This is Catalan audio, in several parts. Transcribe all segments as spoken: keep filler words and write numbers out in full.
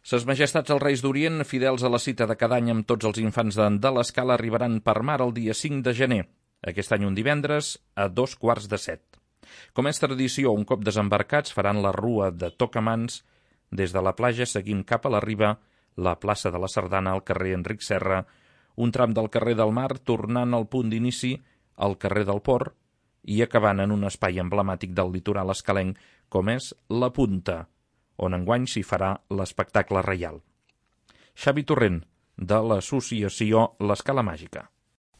Ses Majestats els Reis d'Orient, fidels a la cita de cada any amb tots els infants de, de l'Escala, arribaran per mar el dia cinc de gener, aquest any un divendres, a dos quarts de set. Com és tradició, un cop desembarcats faran la rua de Tocamans des de la platja seguint cap a la riba, la plaça de la Sardana al carrer Enric Serra, un tram del carrer del Mar tornant al punt d'inici al carrer del Port i acabant en un espai emblemàtic del litoral escalenc com és la Punta, on enguany s'hi farà l'espectacle reial. Xavi Torrent, de l'associació L'Escala Màgica.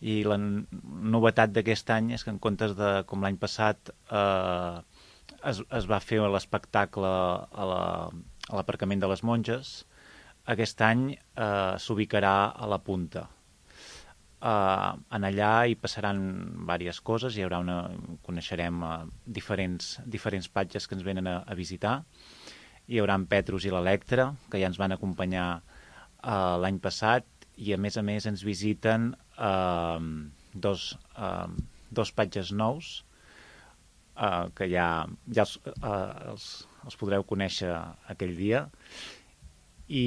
I la novetat d'aquest any és que en comptes de, com l'any passat, eh, es, es va fer l'espectacle a la, a l'aparcament de les Monges, aquest any eh, s'ubicarà a la Punta. Eh, en allà hi passaran diverses coses, hi haurà una, coneixerem eh, diferents, diferents patges que ens venen a, a visitar. Hi haurà en Petrus i l'Electra, que ja ens van acompanyar eh, l'any passat, i a més a més ens visiten eh, dos, eh, dos patges nous, eh, que ja, ja els, eh, els, els podreu conèixer aquell dia, i,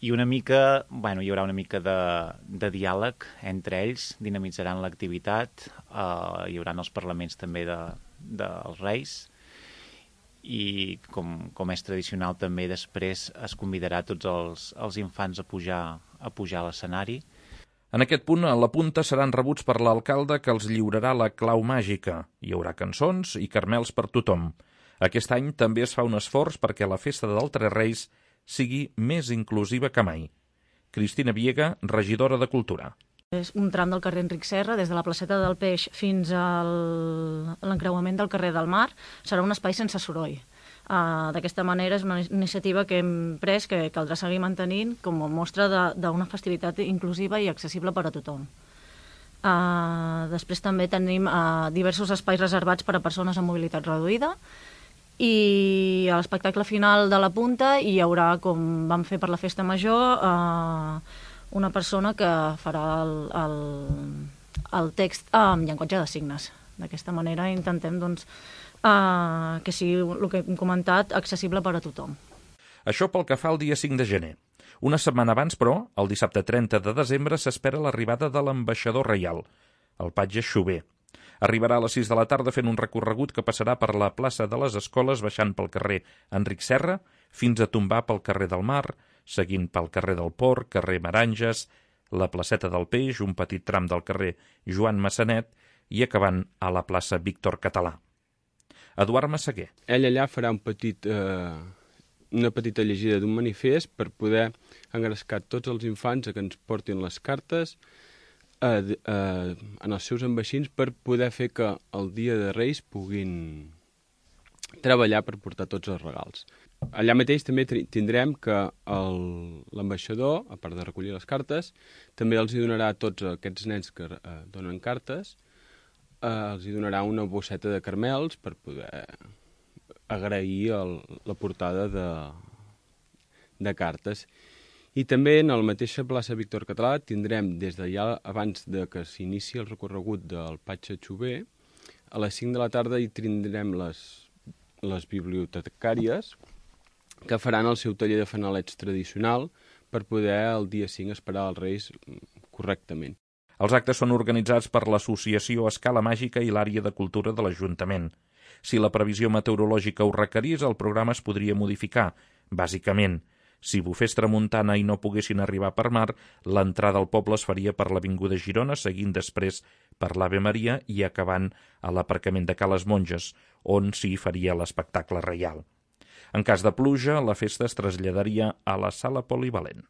i una mica, bueno, hi haurà una mica de, de diàleg entre ells, dinamitzaran l'activitat, eh, hi haurà els parlaments també de, dels Reis, i com, com és tradicional també després es convidarà tots els, els infants a pujar, a pujar a l'escenari. En aquest punt, a la Punta seran rebuts per l'alcalde que els lliurarà la clau màgica. Hi haurà cançons i carmels per tothom. Aquest any també es fa un esforç perquè la festa dels Tres Reis sigui més inclusiva que mai. Cristina Viega, regidora de Cultura. És un tram del carrer Enric Serra, des de la placeta del Peix fins a l'encreuament del carrer del Mar. Serà un espai sense soroll. Uh, D'aquesta manera és una iniciativa que hem pres, que caldrà seguir mantenint com a mostra d'una festivitat inclusiva i accessible per a tothom. Uh, després també tenim uh, diversos espais reservats per a persones amb mobilitat reduïda, i a l'espectacle final de la Punta hi haurà, com vam fer per la Festa Major, uh, una persona que farà el, el, el text en llenguatge de signes. D'aquesta manera intentem doncs, uh, que sigui, el que hem comentat, accessible per a tothom. Això pel que fa al dia cinc de gener. Una setmana abans, però, el dissabte trenta de desembre, s'espera l'arribada de l'ambaixador reial, el patge Xover. Arribarà a les sis de la tarda fent un recorregut que passarà per la plaça de les Escoles, baixant pel carrer Enric Serra, fins a tombar pel carrer del Mar, seguint pel carrer del Port, carrer Maranges, la placeta del Peix, un petit tram del carrer Joan Massanet i acabant a la plaça Víctor Català. Eduard Massaguer. Ell allà farà un petit, eh, una petita llegida d'un manifest per poder engrescar tots els infants a que ens portin les cartes eh, eh, en els seus envaixins per poder fer que el dia de Reis puguin treballar per portar tots els regals. Allà mateix també tindrem que l'ambaixador, a part de recollir les cartes, també els hi donarà a tots aquests nens que eh, donen cartes, eh, els hi donarà una bosseta de carmels per poder agrair el, la portada de, de cartes. I també en la mateixa plaça Víctor Català tindrem, des de ja abans de que s'inici el recorregut del patge Xover, a les cinc de la tarda hi tindrem les, les bibliotecàries, que faran el seu taller de fanalets tradicional per poder el dia cinc esperar els Reis correctament. Els actes són organitzats per l'Associació Escala Màgica i l'Àrea de Cultura de l'Ajuntament. Si la previsió meteorològica ho requerís, el programa es podria modificar. Bàsicament, si bufés tramuntana i no poguessin arribar per mar, l'entrada al poble es faria per l'Avinguda Girona, seguint després per l'Ave Maria i acabant a l'aparcament de Ca les Monges, on s'hi faria l'espectacle reial. En cas de pluja, la festa es traslladaria a la sala polivalent.